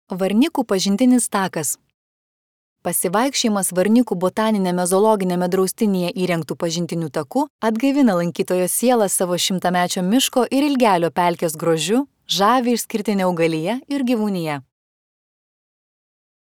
Varnikų pažintinis takas. Pasivaikščiojimas Varnikų botaninėme zoologinėme draustinyje įrengtų pažintinių takų atgaivina lankytojo sielą savo šimtamečio miško ir Ilgelio pelkės grožiu, žavi išskirtinė augalija ir gyvūnija.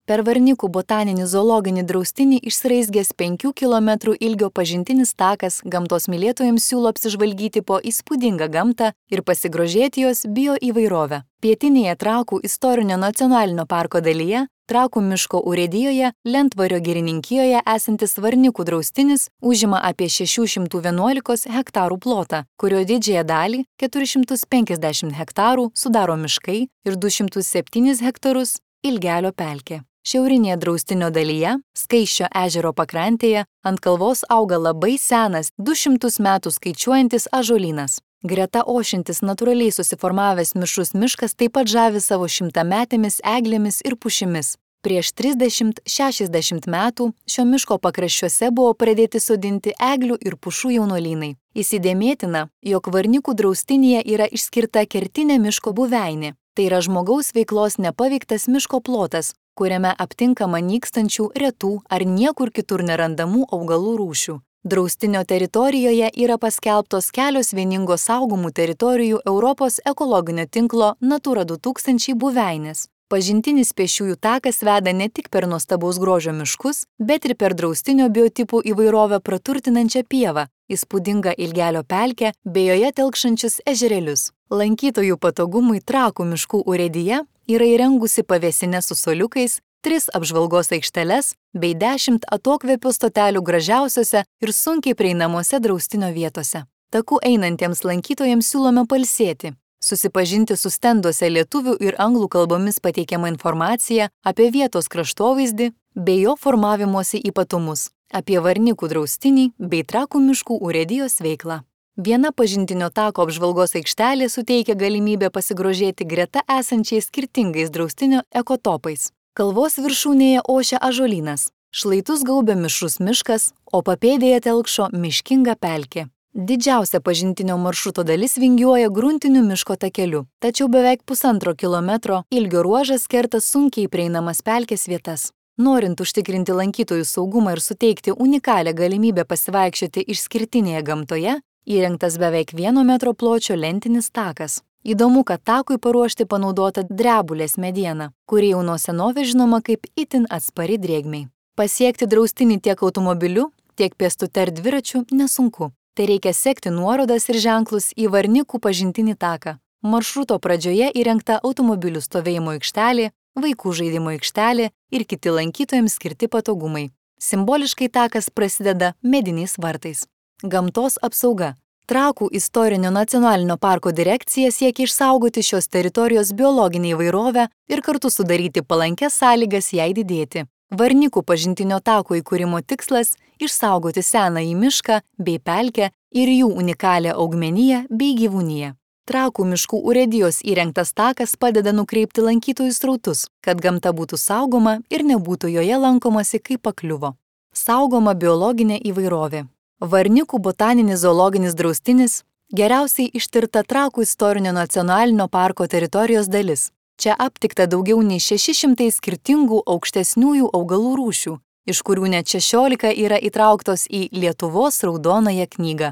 Per Varnikų botaninį zoologinį draustinį išsiraizgęs 5 km ilgio pažintinis takas gamtos mylėtojams siūlo apsižvalgyti po įspūdingą gamtą ir pasigrožėti jos bioįvairovę. Pietinėje Trakų istorinio nacionalinio parko dalyje, Trakų miško urėdijoje, Lentvario girininkijoje esantis Varnikų draustinis užima apie 611 hektarų plotą, kurio didžiąją dalį, 450 hektarų, sudaro miškai ir 207 hektarus Ilgelio pelkė. Šiaurinėje draustinio dalyje, Skaisčio ežero pakrantėje, ant kalvos auga labai senas, 200 metų skaičiuojantis ąžuolynas. Greta ošiantis natūraliai susiformavęs mišrus miškas taip pat žavi savo šimtametėmis eglėmis ir pušimis. Prieš 30–60 metų šio miško pakraščiuose buvo pradėti sodinti eglių ir pušų jaunuolynai. Įsidėmėtina, jog Varnikų draustinyje yra išskirta kertinė miško buveinė. Tai yra žmogaus veiklos nepaveiktas miško plotas, kuriame aptinkama nykstančių, retų ar niekur kitur nerandamų augalų rūšių. Draustinio teritorijoje yra paskelbtos kelios vieningos saugomų teritorijų Europos ekologinio tinklo Natura 2000 buveinės. Pažintinis pėsčiųjų takas veda ne tik per nuostabaus grožio miškus, bet ir per draustinio biotipų įvairovę praturtinančią pievą, įspūdingą Ilgelio pelkę bei joje telkšančius ežerėlius. Lankytojų patogumui Trakų miškų urėdija yra įrengusi pavėsinę su suoliukais, 3 apžvalgos aikšteles bei 10 atokvėpio stotelių gražiausiose ir sunkiai prieinamose draustinio vietose. Takų einantiems lankytojams siūlome pailsėti, susipažinti su stenduose lietuvių ir anglų kalbomis pateikiama informacija apie vietos kraštovaizdį bei jo formavimosi ypatumus, apie Varnikų draustinį bei Trakų miškų urėdijos veiklą. Viena pažintinio tako apžvalgos aikštelė suteikia galimybę pasigrožėti greta esančiais skirtingais draustinio ekotopais. Kalvos viršūnėje ošia ąžuolynas, šlaitus gaubia mišrus miškas, o papėdėje telkšo miškinga pelkė. Didžiausia pažintinio maršruto dalis vingiuoja gruntiniu miško takeliu, tačiau beveik 1,5 kilometro ilgio ruožas kerta sunkiai prieinamas pelkės vietas. Norint užtikrinti lankytojų saugumą ir suteikti unikalią galimybę pasivaikščioti išskirtinėje gamtoje, įrengtas beveik 1 metro pločio lentinis takas. Įdomu, kad takui paruošti panaudota drebulės mediena, kuri jau nuo senovės žinoma kaip itin atspari drėgmei. Pasiekti draustinį tiek automobiliu, tiek pėstute ar dviračiu nesunku. Tai reikia sekti nuorodas ir ženklus į Varnikų pažintinį taką. Maršruto pradžioje įrengta automobilių stovėjimo aikštelė, vaikų žaidimo aikštelė ir kiti lankytojams skirti patogumai. Simboliškai takas prasideda mediniais vartais. Gamtos apsauga. Trakų istorinio nacionalinio parko direkcija siekia išsaugoti šios teritorijos biologinę įvairovę ir kartu sudaryti palankias sąlygas jai didėti. Varnikų pažintinio tako įkūrimo tikslas – išsaugoti senąjį mišką bei pelkę ir jų unikalią augmeniją bei gyvūniją. Trakų miškų urėdijos įrengtas takas padeda nukreipti lankytojų srautus, kad gamta būtų saugoma ir nebūtų joje lankomasi kaip pakliuvo. Saugoma biologinė įvairovė. Varnikų botaninis zoologinis draustinis – geriausiai ištirta Trakų istorinio nacionalinio parko teritorijos dalis. Čia aptikta daugiau nei 600 skirtingų aukštesniųjų augalų rūšių, iš kurių net 16 yra įtrauktos į Lietuvos raudonąją knygą.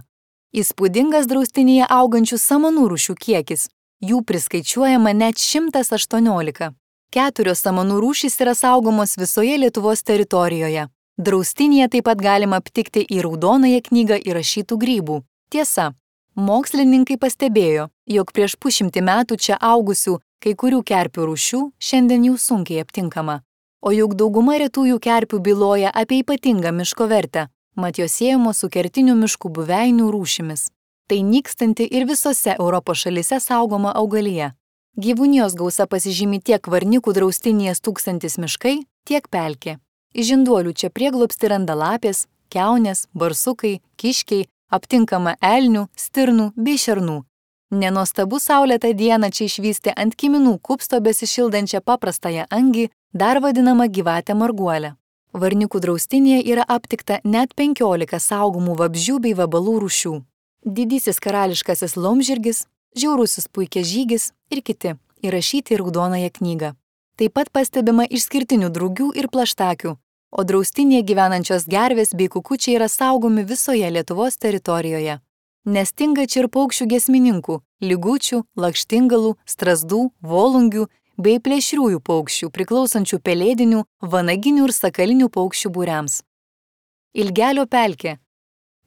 Įspūdingas draustinyje augančių samanų rūšių kiekis. Jų priskaičiuojama net 118. 4 samanų rūšys yra saugomos visoje Lietuvos teritorijoje. Draustinyje taip pat galima aptikti į raudonąją knygą įrašytų grybų. Tiesa, mokslininkai pastebėjo, jog prieš 100 metų čia augusių kai kurių kerpių rūšių šiandien jau sunkiai aptinkama. O juk dauguma retųjų kerpių byloja apie ypatingą miško vertę, mat jos siejamos su kertinių miškų buveinių rūšimis. Tai nykstanti ir visose Europos šalyse saugoma augalija. Gyvūnijos gausa pasižymi tiek Varnikų draustinyje stūksantis miškai, tiek pelkė. Iš žinduolių čia prieglobstį randa lapės, kiaunės, barsukai, kiškiai, aptinkama elnių, stirnų bei šernų. Nenuostabu saulėtą dieną čia išvysti ant kiminų kupsto besišildančią paprastąją angį, dar vadinamą gyvatę marguolę. Varnikų draustinyje yra aptikta net 15 saugomų vabzdžių bei vabalų rūšių. Didysis karališkasis laumžirgis, žiaurusis puikiažygis ir kiti įrašyti į raudonąją knygą. Taip pat pastebima išskirtinių drugių ir plaštakių, o draustinėje gyvenančios gervės bei kukučiai yra saugomi visoje Lietuvos teritorijoje. Nestinga čia ir paukščių giesmininkų, ligučių, lakštingalų, strazdų, volungių bei plėšriųjų paukščių priklausančių pelėdinių, vanaginių ir sakalinių paukščių būriams. Ilgelio pelkė.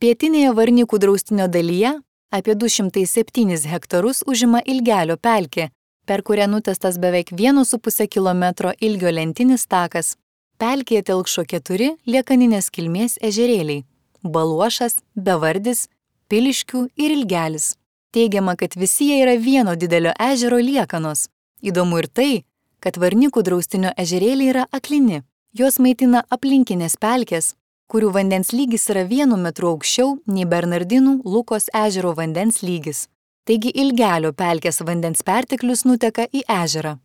Pietinėje Varnikų draustinio dalyje apie 207 hektarus užima Ilgelio pelkė, per kurią nutiestas beveik 1,5 km ilgio lentinis takas. Pelkėje telkšo 4 liekaninės kilmės ežerėliai – Baluošas, Bevardis, Piliškių ir Ilgelis. Teigiama, kad visi jie yra vieno didelio ežero liekanos. Įdomu ir tai, kad Varnikų draustinio ežerėliai yra aklini. Jos maitina aplinkinės pelkės, kurių vandens lygis yra 1 metru aukščiau nei Bernardinų Lukos ežero vandens lygis. Taigi Ilgelio pelkės vandens perteklius nuteka į ežerą.